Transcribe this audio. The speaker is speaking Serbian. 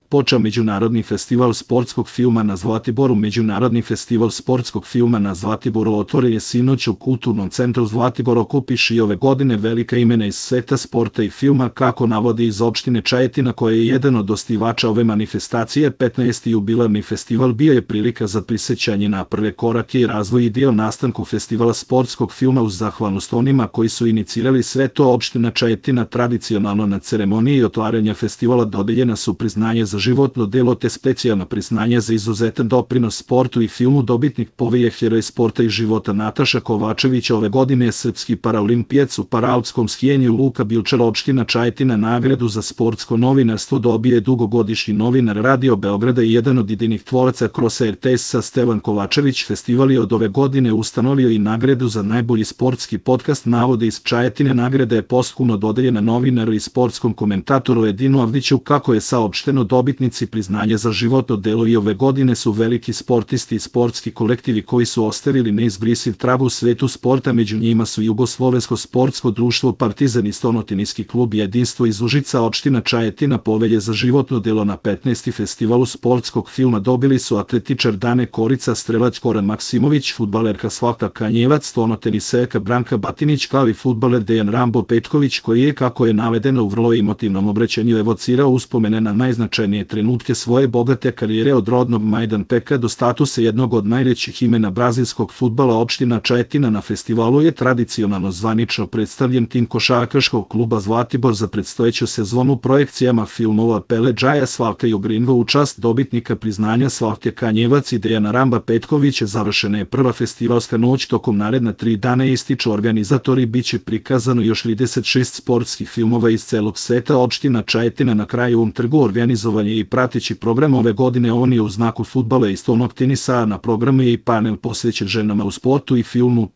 počeo Međunarodni festival sportskog filma na Zlatiboru. Međunarodni festival sportskog filma na Zlatiboru otvoren je sinoć u Kulturnom centru Zlatibor. Okupiš i ove godine velika imena iz sveta sporta i filma, kako navodi iz opštine Čajetina, koja je jedan od osnivača ove manifestacije. 15. jubilarni festival bio je prilika za prisećanje na prve korake i razvoj i dio nastanku festivala sportskog filma. Uz zahvalnost onima koji su inicirali sve to, opština Čajetina tradicionalno na ceremoniji otvaranja festivala dodeljena su priznanje za životno delo te specijalna priznanja za izuzetan doprinos sportu i filmu. Dobitnik povelje heroj sporta i života Nataša Kovačević ove godine je srpski paraolimpijac u paraalpskom skijenju. Luka Bilčar, opština Čajetina, nagradu za sportsko novinarstvo dobije dugogodišnji novinar Radio Beograda i jedan od idejnih tvoraca kroz RTS-a Stevan Kovačević. Festival je od ove godine ustanovio i nagradu za najbolji sportski podcast, navode iz Čajetine. Nagrada je posthumno dodeljena novinaru i sportskom komentatoru Edinu Avdiću. Kako je saopšteno, dobitnici priznanja za životno delo i ove godine su veliki sportisti i sportski kolektivi koji su ostavili neizbrisiv trag u svetu sporta. Među njima su Jugoslovensko sportsko društvo Partizan i Stonotinijski klub Jedinstvo iz Užica. Opština Čajetina povelje za životno delo na 15. festivalu sportskog filma dobili su atletičar Dane Korica, strelac Koran Maksimović, fudbalerka Slavka Kanjevac, stolnoteniserka Branka Batinić, kao i fudbaler Dejan Rambo Petković, koji je, kako je navedeno u vrlo emotivnom obraćanju, evocirao uspomene na najznačajnije trenutke svoje bogate karijere, od rodnog Majdanpeka do statusa jednog od najvećih imena brazilskog fudbala. Opština Čajetina na festivalu je tradicionalno zvanično predstavljen tim košarkaškog kluba Zlatibor za predstojeću sezonu projekcijama filmova Pele Džaja, Slavka Jugrinva u čast dobitnika priznanja Slavke Kanjevac i Dejana Ramba Petkovića. Završena je prva festivalska noć. Tokom naredna 3 dana, ističu organizatori, biće prikazano još 36 sportskih filmova iz celog sveta. Opština Čajetina na Krajevom trgu organizovanje i prateći program ove godine on je u znaku fudbala i stolnog tenisa, a na programu je i panel posvećen ženama u sportu i filmu.